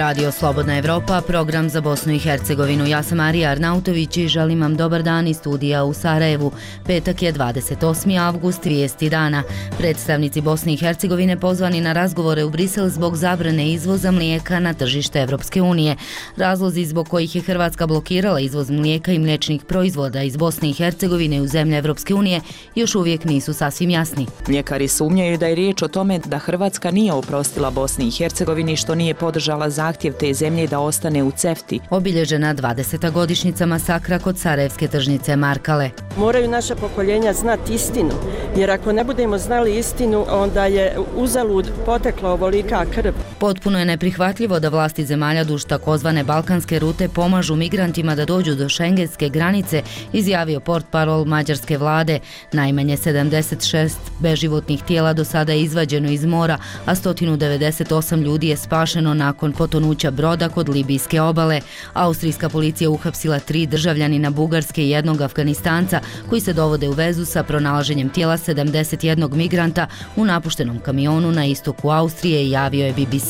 Radio Slobodna Evropa, program za Bosnu i Hercegovinu. Ja sam Marija Arnautović i želim vam dobar dan iz studija u Sarajevu. Petak je 28. avgust, vijesti dana. Predstavnici Bosne i Hercegovine pozvani na razgovore u Brisel zbog zabrane izvoza mlijeka na tržište Evropske unije. Razlozi zbog kojih je Hrvatska blokirala izvoz mlijeka i mliječnih proizvoda iz Bosne i Hercegovine u zemlje Evropske unije još uvijek nisu sasvim jasni. Mljekari sumnjaju da je riječ o tome da Hrvatska nije oprostila Bosni i Hercegovini što nije podržala zahtjev te zemlje da ostane u CEFTA-i. Obilježena 20. godišnjica masakra kod sarajevske tržnice Markale. Moraju naša pokoljenja znati istinu, jer ako ne budemo znali istinu, onda je uzalud potekla ovolika krv. Potpuno je neprihvatljivo da vlasti zemalja duž takozvane balkanske rute pomažu migrantima da dođu do šengenske granice, izjavio portparol mađarske vlade. Najmanje 76 beživotnih tijela do sada je izvađeno iz mora, a 198 ljudi je spašeno nakon potonuća broda kod libijske obale. Austrijska policija uhapsila 3 državljanina Bugarske i 1 Afganistanca koji se dovode u vezu sa pronalaženjem tijela 71 migranta u napuštenom kamionu na istoku Austrije, javio je BBC.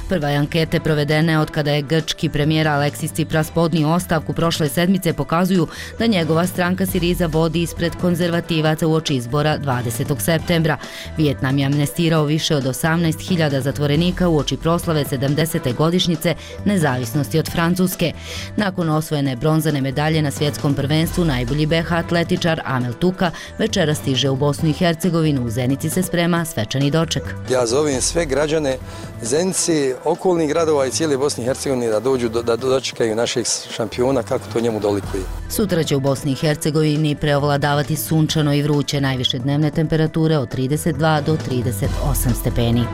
Prve ankete provedene od kada je grčki premijer Aleksis Tsipras podnio ostavku prošle sedmice pokazuju da njegova stranka Siriza vodi ispred konzervativaca uoči izbora 20. septembra. Vijetnam je amnestirao više od 18.000 zatvorenika uoči proslave 70. godišnjice nezavisnosti od Francuske. Nakon osvojene bronzane medalje na svjetskom prvenstvu, najbolji BH atletičar Amel Tuka večera stiže u Bosnu i Hercegovinu. U Zenici se sprema svečani doček. Ja zovem sve građane Zenice, okolnih gradova i cijele Bosne i Hercegovine da dođu da dočekaju našeg šampiona kako to njemu dolikuje. Sutra će u Bosni i Hercegovini preovladavati sunčano i vruće, najviše dnevne temperature od 32 do 38 stepeni.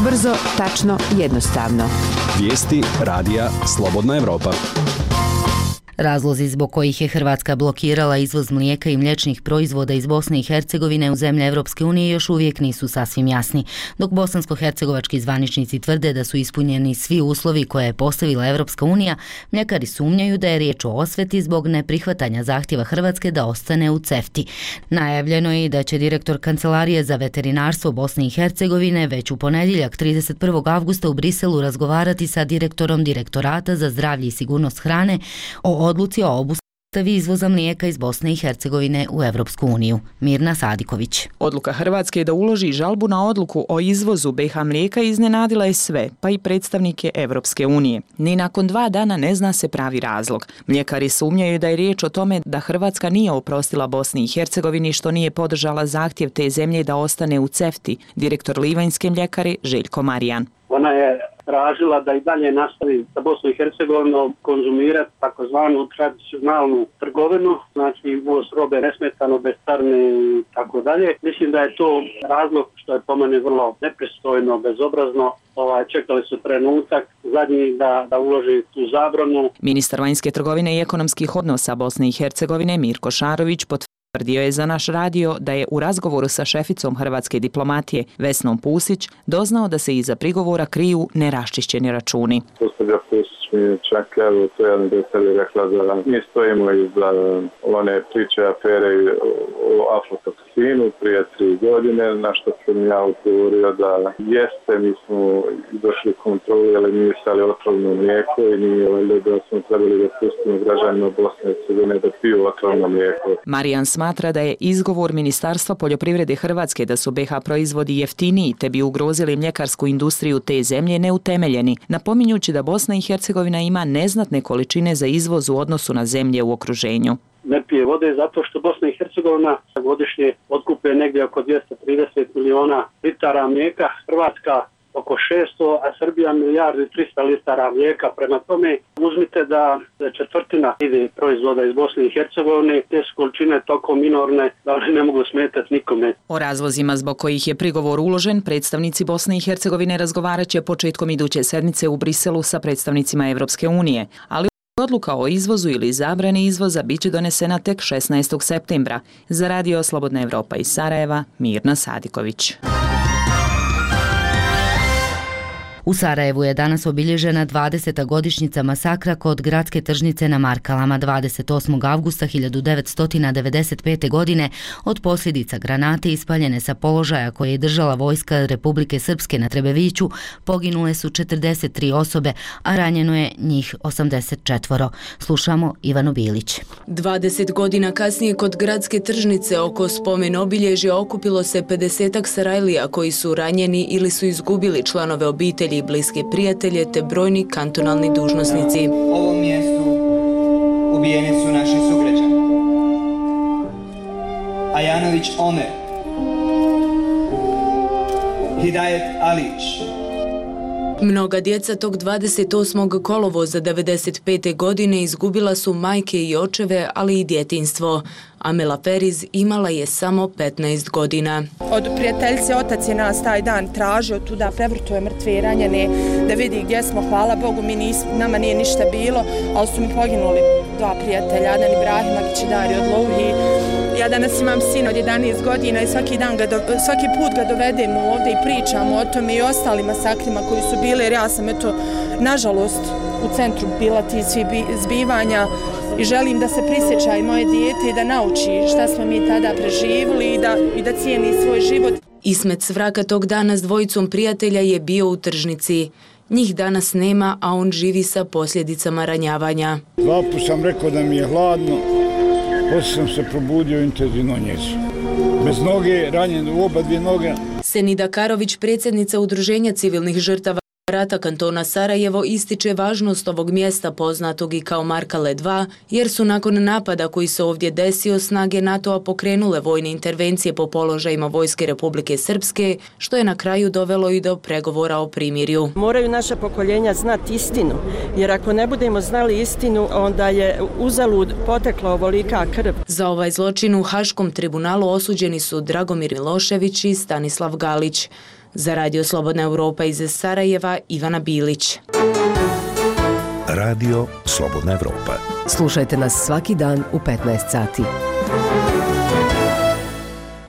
Brzo, tačno, jednostavno. Vijesti radija Slobodna Evropa. Razlozi zbog kojih je Hrvatska blokirala izvoz mlijeka i mliječnih proizvoda iz Bosne i Hercegovine u zemlje Evropske unije još uvijek nisu sasvim jasni. Dok bosansko-hercegovački zvaničnici tvrde da su ispunjeni svi uslovi koje je postavila Evropska unija, mljekari sumnjaju da je riječ o osveti zbog neprihvatanja zahtjeva Hrvatske da ostane u CEFTA-i. Najavljeno je i da će direktor Kancelarije za veterinarstvo Bosne i Hercegovine već u ponedjeljak 31. avgusta u Briselu razgovarati sa direktorom Direktorata za zdravlje i sigurnost hrane o odluci o obustavi izvoza mlijeka iz Bosne i Hercegovine u Evropsku uniju. Mirna Sadiković. Odluka Hrvatske da uloži žalbu na odluku o izvozu BiH mlijeka iznenadila je sve, pa i predstavnike Evropske unije. Ni nakon 2 dana ne zna se pravi razlog. Mljekari sumnjaju da je riječ o tome da Hrvatska nije oprostila Bosni i Hercegovini što nije podržala zahtjev te zemlje da ostane u CEFTA-i, direktor Livanjske mljekare Željko Marijan. Ona je tražila da i dalje nastavi sa Bosnom i Hercegovinom konzumirati takozvanu tradicionalnu trgovinu, znači uvoz robe nesmetano, bez carine i tako dalje. Mislim da je to razlog što je po meni vrlo nepristojno, bezobrazno. Čekali su trenutak zadnji da uloži tu zabranu. Ministar vanjske trgovine i ekonomskih odnosa Bosne i Hercegovine Mirko Šarović potvrdio je za naš radio da je u razgovoru sa šeficom hrvatske diplomatije Vesnom Pusić doznao da se iza prigovora kriju neraščišćeni računi. Gospođa Pusić mi čak evo to jedan detalj rekla da mi stojimo iza one priče afere o aflatoksinu prije 3 godine, na što sam ja odgovorio da jeste, mi smo došli kontroli, ali nije stali otrovno mlijeko i nije valjda da smo trebali da pustimo građanima Bosne i Hercegovine da piju otrovno mlijeko. Marijan smatra da je izgovor Ministarstva poljoprivrede Hrvatske da su BiH proizvodi jeftiniji te bi ugrozili mljekarsku industriju te zemlje neutemeljeni, napominjući da Bosna i Hercegovina ima neznatne količine za izvoz u odnosu na zemlje u okruženju. Ne pije vode zato što Bosna i Hercegovina godišnje otkupe negdje oko 230 miliona litara mlijeka, Hrvatska oko 600, a Srbija 1 milijardu i 300 litara mlijeka. Prema tome, uzmite da četvrtina ide proizvoda iz Bosne i Hercegovine, te su količine toliko minorne da one ne mogu smetati nikome. O razlozima zbog kojih je prigovor uložen, predstavnici Bosne i Hercegovine razgovarat će početkom iduće sedmice u Briselu sa predstavnicima Evropske unije, ali odluka o izvozu ili zabrani izvoza biće donesena tek 16. septembra. Za radio Slobodna Evropa iz Sarajeva, Mirna Sadiković. U Sarajevu je danas obilježena 20. godišnjica masakra kod gradske tržnice na Markalama 28. avgusta 1995. godine od posljedica granate ispaljene sa položaja koje je držala vojska Republike Srpske na Trebeviću. Poginule su 43 osobe, a ranjeno je njih 84. Slušamo Ivanu Bilić. 20 godina kasnije kod gradske tržnice oko spomen obilježja okupilo se 50-ak Sarajlija koji su ranjeni ili su izgubili članove obitelji i bliske prijatelje te brojni kantonalni dužnosnici. Na ovom mjestu ubijeni su naši sugrađani. Ajanović Omer, Hidajet Alić. Mnoga djeca tog 28. kolovoza 95. godine izgubila su majke i očeve, ali i djetinjstvo. Amela Feriz imala je samo 15 godina. Od prijateljice otac je nas taj dan tražio tuda, prevrtuje mrtve i ranjene, da vidi gdje smo. Hvala Bogu, nama nije ništa bilo, ali su mi poginuli dva prijatelja, Adan Ibrahimagić i Dario Odlouhi. Ja danas imam sin od 11 godina i svaki put ga dovedemo ovdje i pričamo o tome i ostalim masakrima koji su bili, jer ja sam nažalost u centru bila ti svi zbivanja i želim da se prisjeća i moje dijete i da nauči šta smo mi tada preživjeli i da cijeni svoj život. Ismet Svraka tog dana s dvojicom prijatelja je bio u tržnici. Njih danas nema, a on živi sa posljedicama ranjavanja. Dva put sam rekao da mi je hladno, poslije sam se probudio intenzivno njezu. Bez noge, ranjen u oba dvije noge. Senida Karović, predsjednica Udruženja civilnih žrtava rata kantona Sarajevo, ističe važnost ovog mjesta poznatog i kao Markale 2, jer su nakon napada koji se ovdje desio snage NATO-a pokrenule vojne intervencije po položajima vojske Republike Srpske, što je na kraju dovelo i do pregovora o primirju. Moraju naša pokoljenja znati istinu, jer ako ne budemo znali istinu, onda je uzalud potekla ovolika krv. Za ovaj zločin u Haškom tribunalu osuđeni su Dragomir Milošević i Stanislav Galić. Za Radio Slobodna Europa iz Sarajeva, Ivana Bilić. Radio Slobodna Europa. Slušajte nas svaki dan u 15 sati.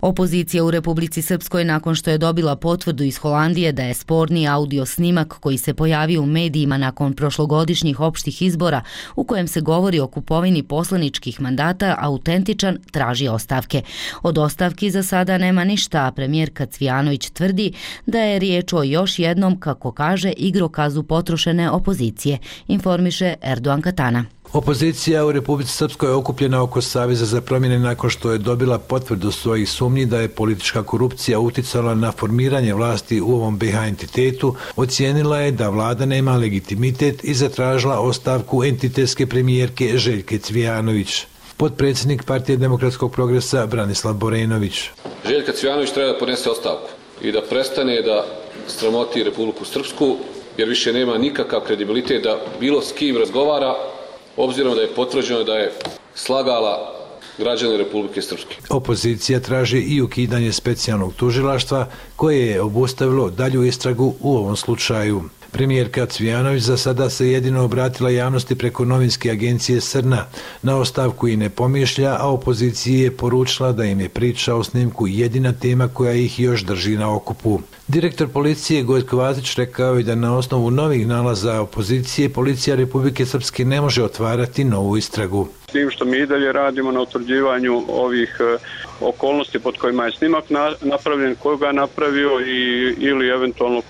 Opozicija u Republici Srpskoj, nakon što je dobila potvrdu iz Holandije da je sporni audio snimak koji se pojavio u medijima nakon prošlogodišnjih opštih izbora u kojem se govori o kupovini poslaničkih mandata autentičan, traži ostavke. Od ostavki za sada nema ništa, a premijerka Cvijanović tvrdi da je riječ o još jednom, kako kaže, igrokazu potrošene opozicije, informiše Erdogan Katana. Opozicija u Republici Srpskoj je okupljena oko Saveza za promjene nakon što je dobila potvrdu svojih sumnji da je politička korupcija uticala na formiranje vlasti u ovom BiH entitetu, ocijenila je da vlada nema legitimitet i zatražila ostavku entitetske premijerke Željke Cvijanović. Potpredsjednik Partije demokratskog progresa Branislav Borenović. Željka Cvijanović treba da podnese ostavku i da prestane da sramoti Republiku Srpsku, jer više nema nikakav kredibilitet da bilo s kim razgovara, obzirom da je potvrđeno da je slagala građane Republike Srpske. Opozicija traži i ukidanje specijalnog tužilaštva koje je obustavilo dalju istragu u ovom slučaju. Premijerka Cvijanović za sada se jedino obratila javnosti preko novinske agencije Srna. Na ostavku i ne pomišlja, a opoziciji je poručila da im je priča o snimku jedina tema koja ih još drži na okupu. Direktor policije Gojko Vazić rekao je da na osnovu novih nalaza opozicije policija Republike Srpske ne može otvarati novu istragu. S tim što mi i dalje radimo na utvrđivanju ovih okolnosti pod kojima je snimak napravljen, ko ga napravio ili eventualno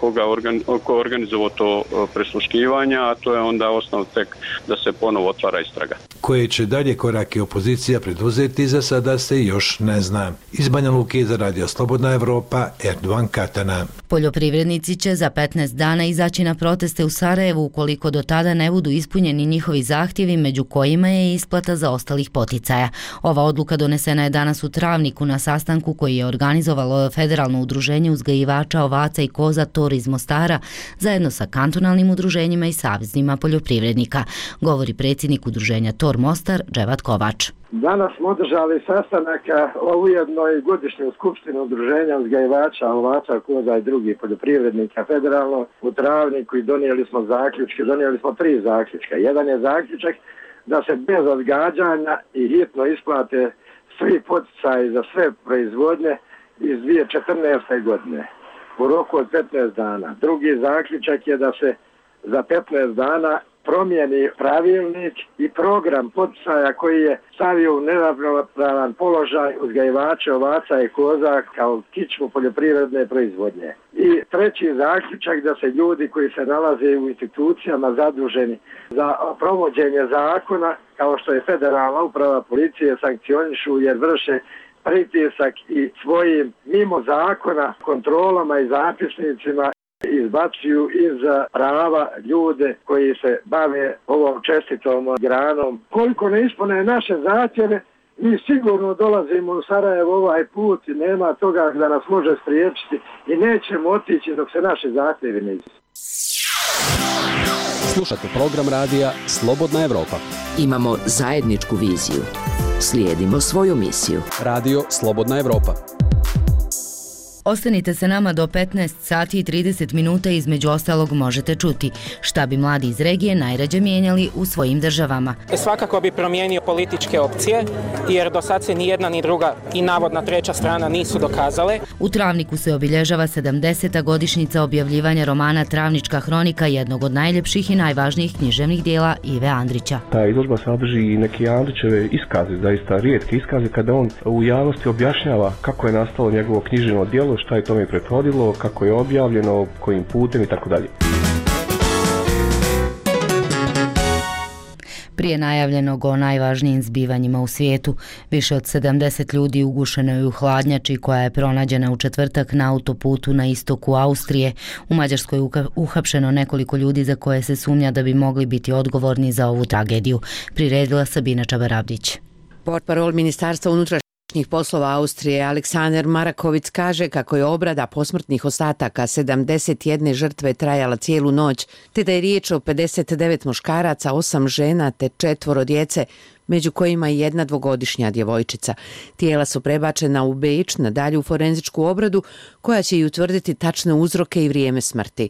ko organizovao to prisluškivanja, a to je onda osnov tek da se ponovo otvara istraga. Koje će dalje korake opozicija preduzeti, za sada se još ne zna. Iz Banja Luke za Radio Slobodna Evropa, Erdogan Katana. Poljoprivrednici će za 15 dana izaći na proteste u Sarajevu ukoliko do tada ne budu ispunjeni njihovi zahtjevi, među kojima je isplata zaostalih poticaja. Ova odluka donesena je danas u Travniku na sastanku koji je organizovalo Federalno udruženje uzgajivača ovaca i koza TOR iz Mostara zajedno sa kantonalnim udruženjima i saveznima poljoprivrednika, govori predsjednik udruženja TOR Mostar Dževat Kovač. Danas smo održali sastanak o ujednoj godišnjoj skupštini udruženja uzgajivača ovaca, koza i drugih poljoprivrednika federalno u Travniku i donijeli smo 3 zaključka. Jedan je zaključak da se bez odgađanja i hitno isplate svi poticaji za sve proizvodnje iz 2014. godine. u roku od 15 dana. Drugi zaključak je da se za 15 dana promijeni pravilnik i program poticaja koji je stavio u neravnopravan položaj uzgajivače ovaca i koza kao kičmu poljoprivredne proizvodnje. I treći zaključak da se ljudi koji se nalaze u institucijama zaduženi za provođenje zakona, kao što je federalna uprava policije, sankcionišu jer vrše pritisak i svojim mimo zakona kontrolama i zapisnicima izbacuju iz prava ljude koji se bave ovom čestitom granom. Koliko ne ispune naše zahtjeve, mi sigurno dolazimo u Sarajevo ovaj put i nema toga da nas može spriječiti i nećemo otići dok se naše zahtjevi ne ispune. Slušate program radija Slobodna Evropa. Imamo zajedničku viziju. Slijedimo svoju misiju. Radio Slobodna Evropa. Ostanite se nama do 15 sati i 30 minuta, između ostalog možete čuti šta bi mladi iz regije najrađe mijenjali u svojim državama. Svakako bi promijenio političke opcije, jer do sad se ni jedna ni druga i navodna treća strana nisu dokazale. U Travniku se obilježava 70. godišnjica objavljivanja romana Travnička hronika, jednog od najljepših i najvažnijih književnih dijela Ive Andrića. Ta izložba sadrži i neke Andrićeve iskaze, zaista rijetke iskaze, kada on u javnosti objašnjava kako je nastalo njegovo književno djelo, šta je tome prethodilo, kako je objavljeno, kojim putem i tako dalje. Prije najavljenog o najvažnijim zbivanjima u svijetu, više od 70 ljudi ugušeno je u hladnjači koja je pronađena u četvrtak na autoputu na istoku Austrije. U Mađarskoj je uhapšeno nekoliko ljudi za koje se sumnja da bi mogli biti odgovorni za ovu tragediju. Priredila Sabina Čabarabdić. Portparol Ministarstva unutrašnjih poslova Austrije Aleksander Marakovic kaže kako je obrada posmrtnih ostataka 71 žrtve trajala cijelu noć, te da je riječ o 59 muškaraca, 8 žena te 4 djece, među kojima i jedna 2-godišnja djevojčica. Tijela su prebačena u Beč na dalju forenzičku obradu koja će i utvrditi tačne uzroke i vrijeme smrti.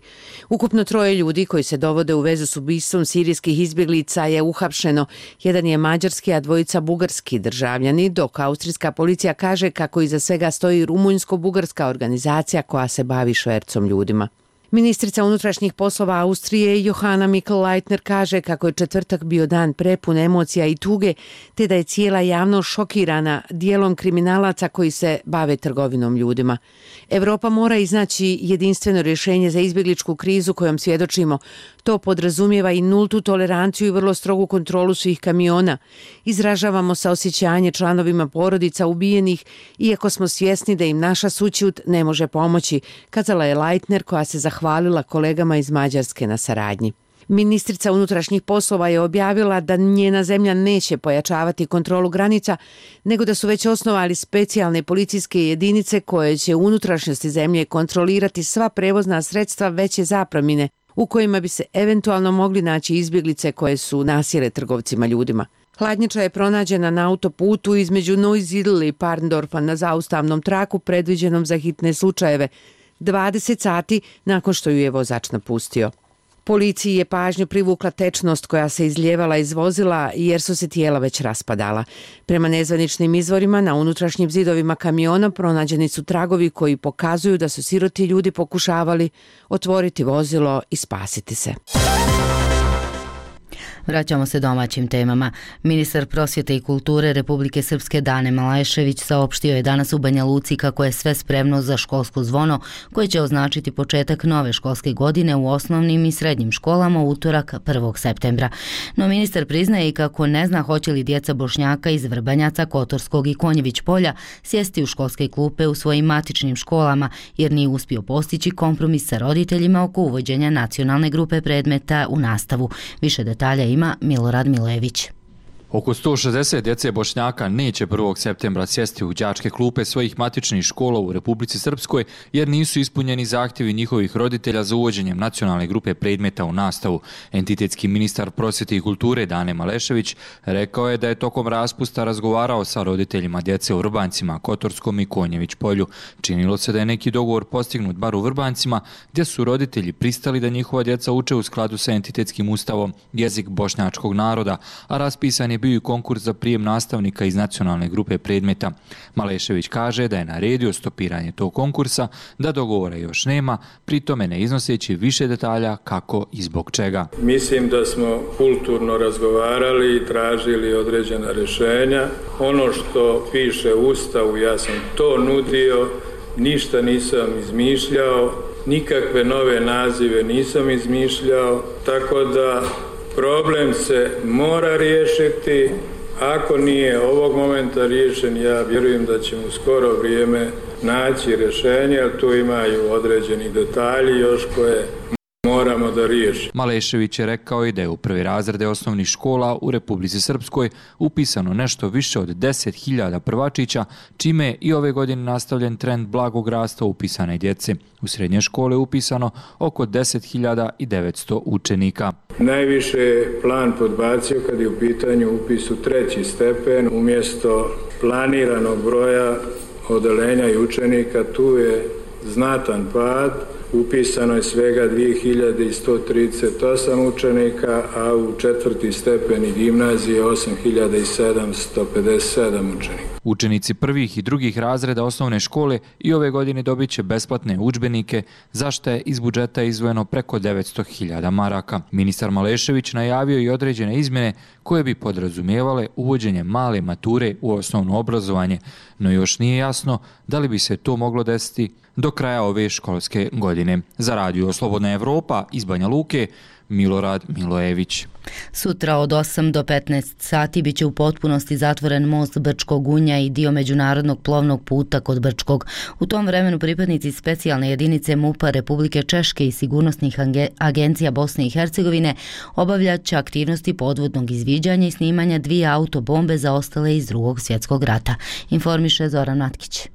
Ukupno 3 ljudi koji se dovode u vezu s ubistvom sirijskih izbjeglica je uhapšeno. Jedan je mađarski, a 2 bugarski državljani, dok austrijska policija kaže kako iza svega stoji rumunjsko-bugarska organizacija koja se bavi švercom ljudima. Ministrica unutrašnjih poslova Austrije Johanna Mikl-Leitner kaže kako je četvrtak bio dan prepun emocija i tuge, te da je cijela javnost šokirana dijelom kriminalaca koji se bave trgovinom ljudima. Evropa mora iznaći jedinstveno rješenje za izbjegličku krizu kojom svjedočimo. To podrazumijeva i nultu toleranciju i vrlo strogu kontrolu svih kamiona. Izražavamo saosjećanje članovima porodica ubijenih, iako smo svjesni da im naša sućut ne može pomoći, kazala je Leitner, koja se zahvalila kolegama iz Mađarske na saradnji. Ministrica unutrašnjih poslova je objavila da njena zemlja neće pojačavati kontrolu granica, nego da su već osnovali specijalne policijske jedinice koje će u unutrašnjosti zemlje kontrolirati sva prevozna sredstva veće zapremine u kojima bi se eventualno mogli naći izbjeglice koje su nasjele trgovcima ljudima. Hladnjača je pronađena na autoputu između Neusiedl i Parndorfa na zaustavnom traku predviđenom za hitne slučajeve, 20 sati nakon što ju je vozač napustio. Policiji je pažnju privukla tečnost koja se izljevala iz vozila jer su se tijela već raspadala. Prema nezvaničnim izvorima na unutrašnjim zidovima kamiona pronađeni su tragovi koji pokazuju da su siroti ljudi pokušavali otvoriti vozilo i spasiti se. Vraćamo se domaćim temama. Ministar prosvjete i kulture Republike Srpske Dane Malešević saopštio je danas u Banja Luci kako je sve spremno za školsko zvono koje će označiti početak nove školske godine u osnovnim i srednjim školama u utorak 1. septembra. No ministar priznaje i kako ne zna hoće li djeca Bošnjaka iz Vrbanjaca, Kotorskog i Konjević polja sjesti u školske klupe u svojim matičnim školama jer nije uspio postići kompromis sa roditeljima oko uvođenja nacionalne grupe predmeta u nastavu. Više detalja ima Milorad Milević. Oko 160 djece Bošnjaka neće 1. septembra sjesti u đačke klupe svojih matičnih škola u Republici Srpskoj jer nisu ispunjeni zahtjevi njihovih roditelja za uvođenjem nacionalne grupe predmeta u nastavu. Entitetski ministar prosvjete i kulture Dane Malešević rekao je da je tokom raspusta razgovarao sa roditeljima djece u Vrbancima, Kotorskom i Konjević polju. Činilo se da je neki dogovor postignut bar u Vrbancima, gdje su roditelji pristali da njihova djeca uče u skladu sa entitetskim ustavom jezik bošnjačkog naroda, a raspisan je je bio i konkurs za prijem nastavnika iz nacionalne grupe predmeta. Malešević kaže da je naredio stopiranje tog konkursa, da dogovora još nema, pri tome ne iznoseći više detalja kako i zbog čega. Mislim da smo kulturno razgovarali i tražili određena rješenja. Ono što piše u Ustavu, ja sam to nudio, ništa nisam izmišljao, nikakve nove nazive nisam izmišljao, tako da problem se mora riješiti. Ako nije ovog momenta riješen, ja vjerujem da ćemo u skoro vrijeme naći rješenje, jer tu imaju određeni detalji još koje moramo da riješimo. Malešević je rekao i da je u prvi razrede osnovnih škola u Republici Srpskoj upisano nešto više od 10.000 prvačića, čime je i ove godine nastavljen trend blagog rasta upisane djece. U srednje škole je upisano oko 10.900 učenika. Najviše je plan podbacio kad je u pitanju upis u 3. stepen, umjesto planiranog broja odeljenja i učenika, tu je znatan pad. Upisano je svega 2138 učenika, a u 4. stepen i gimnazije 8757 učenika. Učenici prvih i drugih razreda osnovne škole i ove godine dobit će besplatne udžbenike, za što je iz budžeta izdvojeno preko 900.000 maraka. Ministar Malešević najavio i određene izmjene koje bi podrazumijevale uvođenje male mature u osnovno obrazovanje, no još nije jasno da li bi se to moglo desiti do kraja ove školske godine. Za Radio Slobodna Evropa iz Banja Luke, Milorad Milojević. Sutra od 8 do 15 sati biće u potpunosti zatvoren most Brčkog Unja i dio međunarodnog plovnog puta kod Brčkog. U tom vremenu pripadnici specijalne jedinice MUP-a Republike Češke i sigurnosnih agencija Bosne i Hercegovine obavljat će aktivnosti podvodnog izviđanja i snimanja 2 autobombe zaostale iz Drugog svjetskog rata, informiše Zoran Matkić.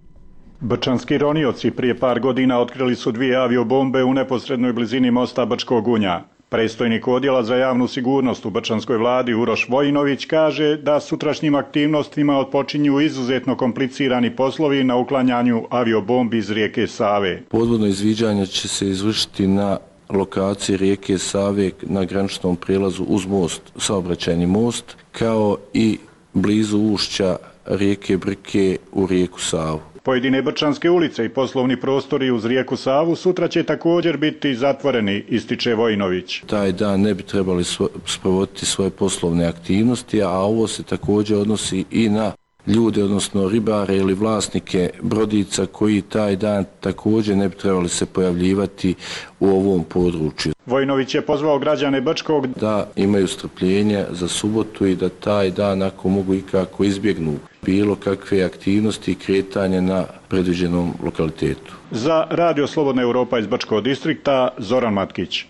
Brčanski ronioci prije par godina otkrili su 2 aviobombe u neposrednoj blizini mosta Brčkog Unja. Predstojnik odjela za javnu sigurnost u Brčanskoj vladi Uroš Vojinović kaže da sutrašnjim aktivnostima otpočinju izuzetno komplicirani poslovi na uklanjanju aviobombi iz rijeke Save. Podvodno izviđanje će se izvršiti na lokaciji rijeke Save na graničnom prijelazu uz most, saobraćajni most, kao i blizu ušća rijeke Brke u rijeku Savu. Pojedine brčanske ulice i poslovni prostori uz rijeku Savu sutra će također biti zatvoreni, ističe Vojinović. Taj dan ne bi trebali sprovoditi svoje poslovne aktivnosti, a ovo se također odnosi i na ljude, odnosno ribare ili vlasnike brodica koji taj dan također ne bi trebali se pojavljivati u ovom području. Vojinović je pozvao građane Brčkog da imaju strpljenja za subotu i da taj dan, ako mogu ikako, izbjegnu bilo kakve aktivnosti i kretanje na predviđenom lokalitetu. Za Radio Slobodna Evropa iz Brčkog distrikta, Zoran Matkić.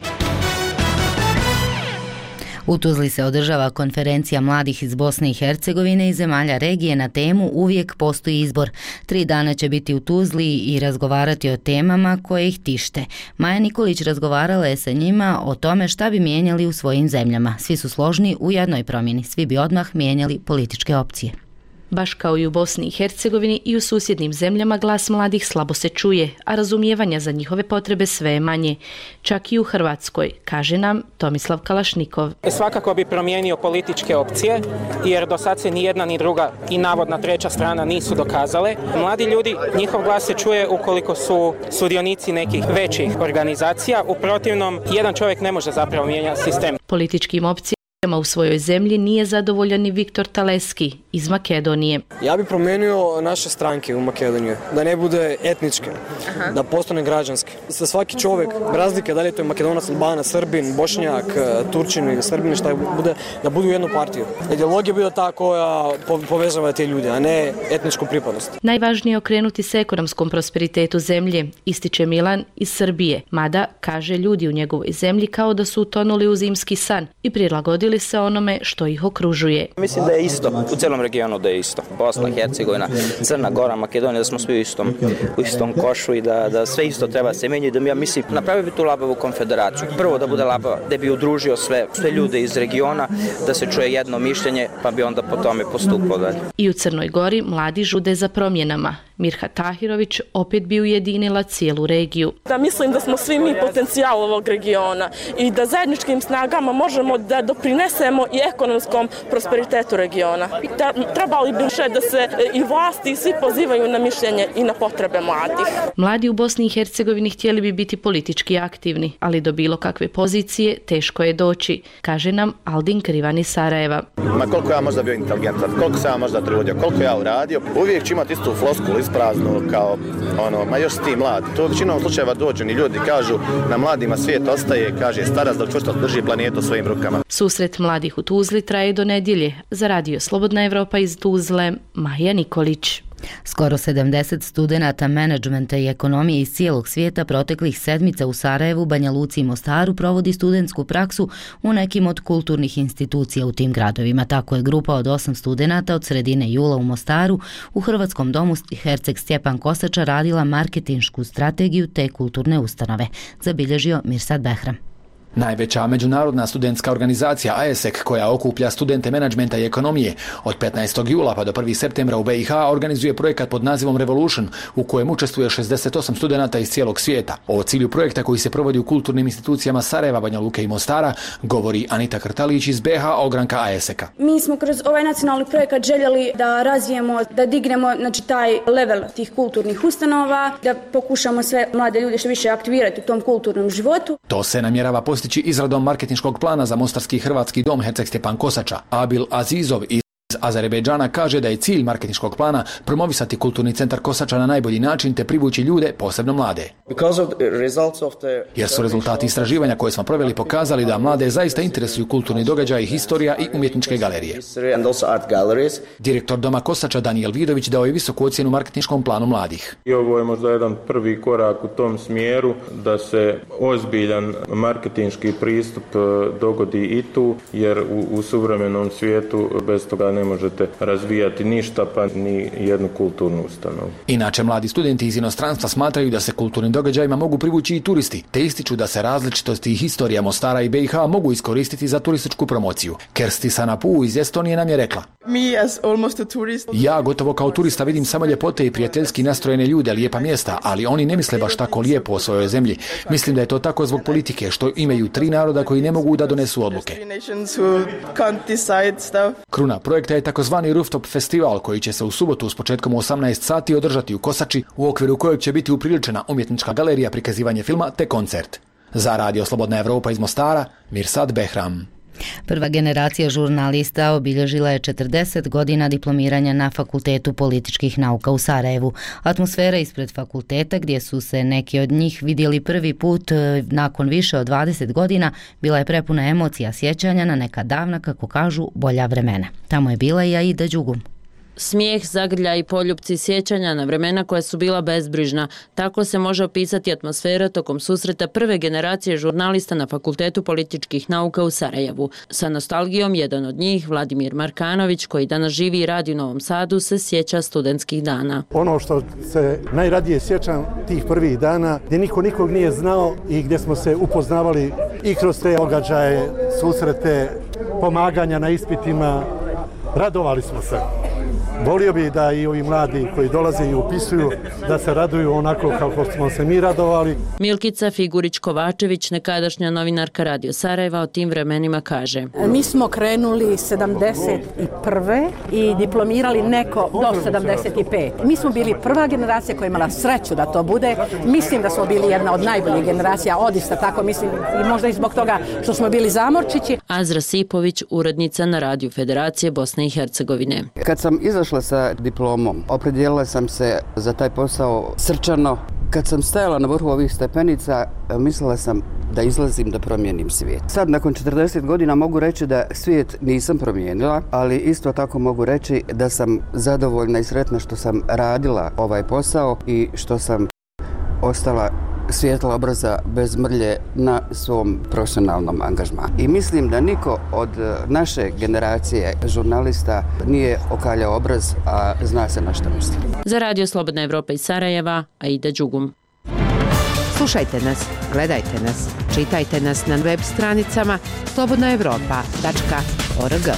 U Tuzli se održava konferencija mladih iz Bosne i Hercegovine i zemalja regije na temu Uvijek postoji izbor. 3 dana će biti u Tuzli i razgovarati o temama koje ih tište. Maja Nikolić razgovarala je sa njima o tome šta bi mijenjali u svojim zemljama. Svi su složni u jednoj promjeni. Svi bi odmah mijenjali političke opcije. Baš kao i u Bosni i Hercegovini i u susjednim zemljama glas mladih slabo se čuje, a razumijevanja za njihove potrebe sve je manje. Čak i u Hrvatskoj, kaže nam Tomislav Kalašnikov. Svakako bi promijenio političke opcije, jer do sad se ni jedna ni druga i navodna treća strana nisu dokazale. Mladi ljudi, njihov glas se čuje ukoliko su sudionici nekih većih organizacija. U protivnom, jedan čovjek ne može zapravo mijenjati sistem. Političkim opcijama u svojoj zemlji nije zadovoljan i Viktor Taleski iz Makedonije. Ja bih promijenio naše stranke u Makedoniji, da ne bude etničke, da postane građanske. Sa svaki čovjek, razlike da li je to Makedonac, Albanac, Srbin, Bošnjak, Turčin ili Srbin, šta bude, da budu u jednu partiju. Ideologija bude ta koja povezava te ljude, a ne etničku pripadnost. Najvažnije je okrenuti se ekonomskom prosperitetu zemlje, ističe Milan iz Srbije, mada, kaže, ljudi u njegovoj zemlji kao da su utonuli u zimski san i prilagodili se onome što ih okružuje. Mislim da je isto, u cijelom regionu da je isto. Bosna, Hercegovina, Crna Gora, Makedonija, da smo svi u istom košu i da sve isto treba se menjati. Da ja mislim, napravio bi tu labavu konfederaciju. Prvo da bude labava, da bi udružio sve ljude iz regiona, da se čuje jedno mišljenje, pa bi onda po tome postupao dalje. I u Crnoj Gori mladi žude za promjenama. Mirha Tahirović opet bi ujedinila cijelu regiju. Da mislim da smo svi mi potencijal ovog regiona i da zajedničkim snagama možemo da doprinesemo i ekonomskom prosperitetu regiona. Trebali bi da se i vlasti i svi pozivaju na mišljenje i na potrebe mladih. Mladi u Bosni i Hercegovini htjeli bi biti politički aktivni, ali do bilo kakve pozicije teško je doći, kaže nam Aldin Krivan iz Sarajeva. Ma koliko ja možda bio inteligentan, koliko sam ja možda trudio, koliko ja uradio, uvijek ću imati istu floskulu ispraznu kao ma još si ti mlad. To u većinom slučajeva dođu ni ljudi kažu na mladima svijet ostaje, kaže starac da čvrsto drži planetu svojim rukama. Susret mladih u Tuzli traje do nedjelje. Za Radio Slobodna Evropa iz Tuzle, Maja Nikolić. Skoro 70 studenata menadžmenta i ekonomije iz cijelog svijeta proteklih sedmica u Sarajevu, Banja Luci i Mostaru provodi studentsku praksu u nekim od kulturnih institucija u tim gradovima. Tako je grupa od 8 studenata od sredine jula u Mostaru u Hrvatskom domu Herceg Stjepan Kosača radila marketinšku strategiju te kulturne ustanove, zabilježio Mirsad Behram. Najveća međunarodna studentska organizacija AESEC, koja okuplja studente menadžmenta i ekonomije, od 15. jula pa do 1. septembra u BiH organizuje projekat pod nazivom Revolution, u kojem učestvuje 68 studenata iz cijelog svijeta. O cilju projekta koji se provodi u kulturnim institucijama Sarajeva, Banja Luke i Mostara govori Anita Krtalić iz BiH ogranka AESEC-a. Mi smo kroz ovaj nacionalni projekat željeli da razvijemo, da dignemo taj level tih kulturnih ustanova, da pokušamo sve mlade ljude što više aktivirati u tom kulturnom životu. To se namjerava postići izradom marketinškog plana za Mostarski hrvatski dom Herceg Stjepan Kosača. Abil Azizov iz Azerbejdžana kaže da je cilj marketinškog plana promovisati kulturni centar Kosača na najbolji način te privući ljude, posebno mlade. Jer su rezultati istraživanja koje smo proveli pokazali da mlade zaista interesuju kulturni događaj, historija i umjetničke galerije. Direktor doma Kosača Danijel Vidović dao je visoku ocjenu marketinškom planu mladih. I ovo je možda jedan prvi korak u tom smjeru da se ozbiljan marketinški pristup dogodi i tu, jer u suvremenom svijetu bez toga ne možete razvijati ništa, pa ni jednu kulturnu ustanovu. Inače, mladi studenti iz inostranstva smatraju da se kulturnim događajima mogu privući i turisti, te ističu da se različitosti i historija Mostara i BiH mogu iskoristiti za turističku promociju. Kersti Sanapu iz Estonije nam je rekla: Ja gotovo kao turista vidim samo ljepote i prijateljski nastrojene ljude, lijepa mjesta, ali oni ne misle baš tako lijepo o svojoj zemlji. Mislim da je to tako zbog politike, što imaju 3 naroda koji ne mogu da donesu odluke. Kruna projekta je takozvani Rooftop festival koji će se u subotu s početkom u 18 sati održati u Kosači, u okviru kojeg će biti upriličena umjetnička galerija, prikazivanje filma te koncert. Za Radio Slobodna Evropa iz Mostara, Mirsad Behram. Prva generacija žurnalista obilježila je 40 godina diplomiranja na Fakultetu političkih nauka u Sarajevu. Atmosfera ispred fakulteta, gdje su se neki od njih vidjeli prvi put nakon više od 20 godina, bila je prepuna emocija, sjećanja na neka davna, kako kažu, bolja vremena. Tamo je bila i Aida Đugum. Smijeh, zagrlja i poljupci sjećanja na vremena koja su bila bezbrižna. Tako se može opisati atmosfera tokom susreta prve generacije žurnalista na Fakultetu političkih nauka u Sarajevu. Sa nostalgijom jedan od njih, Vladimir Markanović, koji danas živi i radi u Novom Sadu, se sjeća studentskih dana. Ono što se najradije sjećam tih prvih dana, gdje niko nikog nije znao i gdje smo se upoznavali i kroz te događaje, susrete, pomaganja na ispitima, radovali smo se. Volio bi da i ovi mladi koji dolaze i upisuju da se raduju onako kako smo se mi radovali. Milkica Figurić-Kovačević, nekadašnja novinarka Radio Sarajeva, o tim vremenima kaže: Mi smo krenuli 71. i diplomirali neko do 75. Mi smo bili prva generacija koja je imala sreću da to bude. Mislim da smo bili jedna od najboljih generacija, odista tako mislim, i možda i zbog toga što smo bili zamorčići. Azra Sipović, urednica na Radiju Federacije Bosne i Hercegovine. Kad sam izašla sa diplomom, opredijelila sam se za taj posao srčano. Kad sam stajala na vrhu ovih stepenica, mislila sam da izlazim da promijenim svijet. Sad, nakon 40 godina, mogu reći da svijet nisam promijenila, ali isto tako mogu reći da sam zadovoljna i sretna što sam radila ovaj posao i što sam ostala svijetla obraza bez mrlje na svom profesionalnom angažmanu. I mislim da niko od naše generacije žurnalista nije okaljao obraz, a zna se na što misli. Za Radio Slobodna Evropa iz Sarajeva, Aida Đugum. Slušajte nas, gledajte nas, čitajte nas na web stranicama slobodnaevropa.org.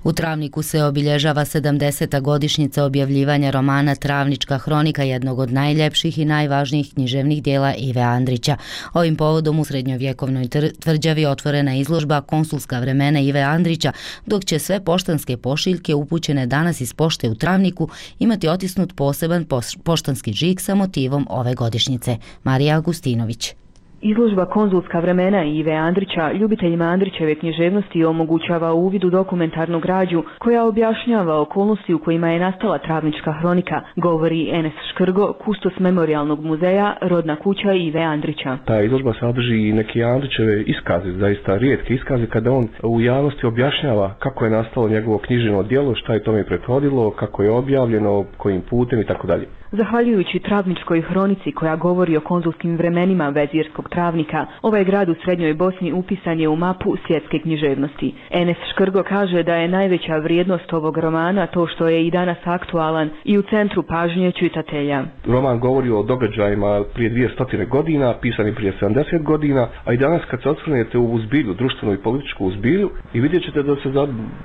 U Travniku se obilježava 70. godišnjica objavljivanja romana Travnička hronika, jednog od najljepših i najvažnijih književnih dijela Ive Andrića. Ovim povodom u srednjovjekovnoj tvrđavi otvorena izložba Konsulska vremena Ive Andrića, dok će sve poštanske pošiljke upućene danas iz pošte u Travniku imati otisnut poseban poštanski žig sa motivom ove godišnjice. Marija Agustinović. Izložba Konzulska vremena Ive Andrića ljubiteljima Andrićeve književnosti omogućava uvid u dokumentarnu građu koja objašnjava okolnosti u kojima je nastala Travnička hronika, govori Enes Škrgo, kustos Memorijalnog muzeja Rodna kuća Ive Andrića. Ta izložba sadrži i neke Andrićeve iskaze, zaista rijetke iskaze, kada on u javnosti objašnjava kako je nastalo njegovo književno djelo, šta je tome prethodilo, kako je objavljeno, kojim putem i tako dalje. Zahvaljujući Travničkoj hronici koja govori o konzulskim vremenima vezirskog Travnika, ovaj grad u Srednjoj Bosni upisan je u mapu svjetske književnosti. Enes Škrgo kaže da je najveća vrijednost ovog romana to što je i danas aktualan i u centru pažnje čitatelja. Roman govori o događajima prije 200 godina, pisani prije 70 godina, a i danas kad se osvrnete u zbilju, društvenu i političku zbilju, i vidjet ćete da se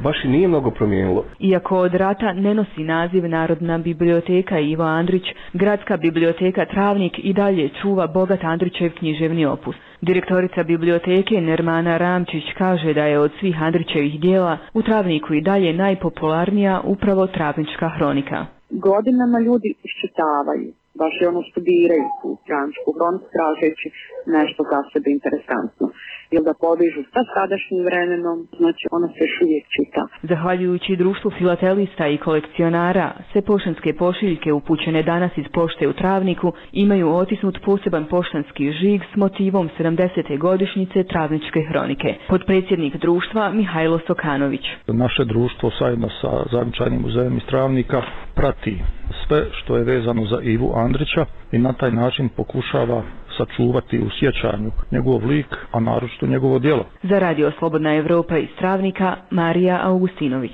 baš i nije mnogo promijenilo. Iako od rata ne nosi naziv Narodna biblioteka Ivo Andrić, Gradska biblioteka Travnik i dalje čuva bogat Andrićev književni opus. Direktorica biblioteke Nermana Ramčić kaže da je od svih Andrićevih dijela u Travniku i dalje najpopularnija upravo Travnička hronika. Godinama ljudi iščitavaju, baš je ono studiraju tu Travničku hroniku tražeći nešto za sebe interesantno. Ili da podižu sa sadašnjim vremenom, znači ona se još uvijek čita. Zahvaljujući društvu filatelista i kolekcionara, sve poštanske pošiljke upućene danas iz pošte u Travniku imaju otisnut poseban poštanski žig s motivom 70. godišnjice Travničke hronike. Podpredsjednik društva Mihajlo Sokanović. Naše društvo zajedno sa Zavičajnim muzejem iz Travnika prati sve što je vezano za Ivu Andrića i na taj način pokušava sačuvati u sjećanju njegov lik, a naročito njegovo djelo. Za Radio Slobodna Evropa iz Travnika, Marija Augustinović.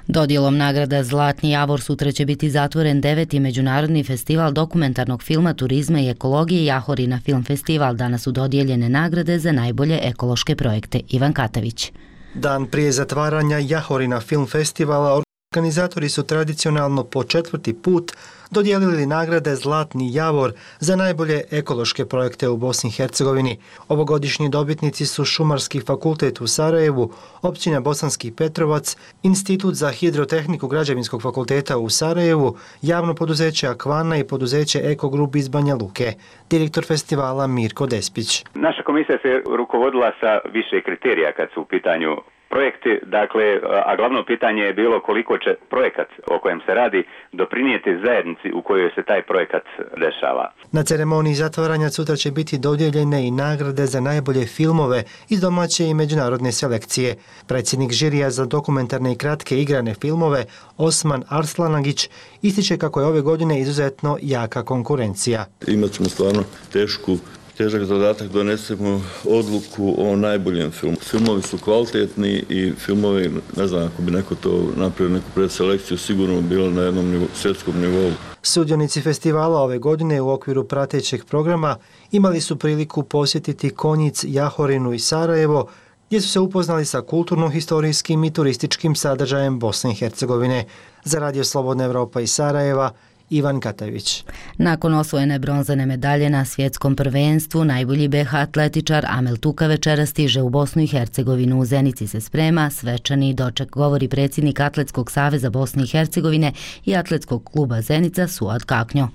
Dodjelom nagrada Zlatni Javor sutra će biti zatvoren 9. Međunarodni festival dokumentarnog filma, turizma i ekologije Jahorina Film Festival. Danas su dodijeljene nagrade za najbolje ekološke projekte. Ivan Katavić. Dan prije zatvaranja Jahorina Film Festivala organizatori su tradicionalno po 4. put dodijelili nagrade Zlatni Javor za najbolje ekološke projekte u Bosni i Hercegovini. Ovogodišnji dobitnici su Šumarski fakultet u Sarajevu, općina Bosanski Petrovac, Institut za hidrotehniku Građevinskog fakulteta u Sarajevu, javno poduzeće Akvana i poduzeće Eko Group iz Banja Luke. Direktor festivala Mirko Despić. Naša komisija se rukovodila sa više kriterija kad su u pitanju projekti, dakle, a glavno pitanje je bilo koliko će projekat o kojem se radi doprinijeti zajednici u kojoj se taj projekat dešava. Na ceremoniji zatvaranja sutra će biti dodijeljene i nagrade za najbolje filmove iz domaće i međunarodne selekcije. Predsjednik žirija za dokumentarne i kratke igrane filmove Osman Arslanagić ističe kako je ove godine izuzetno jaka konkurencija. Imat ćemo stvarno težak zadatak, donesemo odluku o najboljem filmu. Filmovi su kvalitetni i filmovi, ne znam, ako bi neko to napravio neku predselekciju, sigurno bilo na jednom svjetskom nivou. Sudionici festivala ove godine u okviru pratećeg programa imali su priliku posjetiti Konjic, Jahorinu i Sarajevo, gdje su se upoznali sa kulturno-historijskim i turističkim sadržajem Bosne i Hercegovine. Za Radio Slobodna Evropa iz Sarajeva, Ivan Katavić. Nakon osvojene bronzane medalje na svjetskom prvenstvu, najbolji BH atletičar Amel Tuka večera stiže u Bosnu i Hercegovinu. U Zenici se sprema svečani doček, govori predsjednik Atletskog saveza Bosne i Hercegovine i Atletskog kluba Zenica Suad Kaknjo.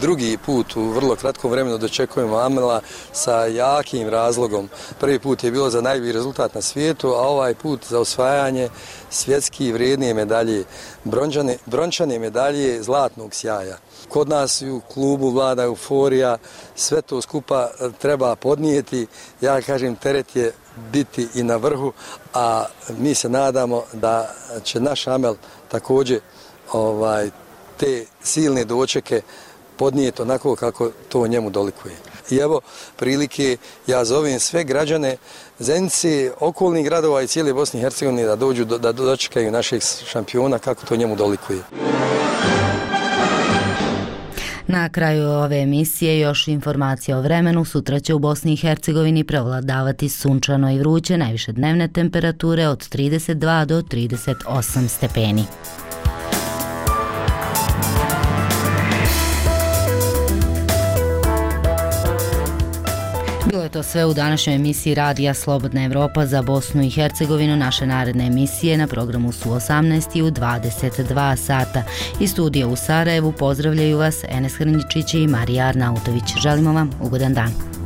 Drugi put u vrlo kratkom vremenu dočekujemo Amela sa jakim razlogom. Prvi put je bilo za najbolji rezultat na svijetu, a ovaj put za osvajanje svjetski vrijednije medalje, brončane medalje zlatnog sjaja. Kod nas u klubu vlada euforija, sve to skupa treba podnijeti. Ja kažem, teret je biti i na vrhu, a mi se nadamo da će naš Amel također te silne dočeke podnijeti onako kako to njemu dolikuje. I evo prilike, ja zovem sve građane Zenice, okolnih gradova i cijele Bosne i Hercegovine da dođu, da dočekaju našeg šampiona kako to njemu dolikuje. Na kraju ove emisije još informacija o vremenu. Sutra će u Bosni i Hercegovini prevladavati sunčano i vruće, najviše dnevne temperature od 32 do 38 stepeni. Bilo je to sve u današnjoj emisiji Radija Slobodna Evropa za Bosnu i Hercegovinu. Naše naredne emisije na programu su 18 i u 22 sata. Iz studija u Sarajevu pozdravljaju vas Enes Hrnjičić i Marija Arnautović. Želimo vam ugodan dan.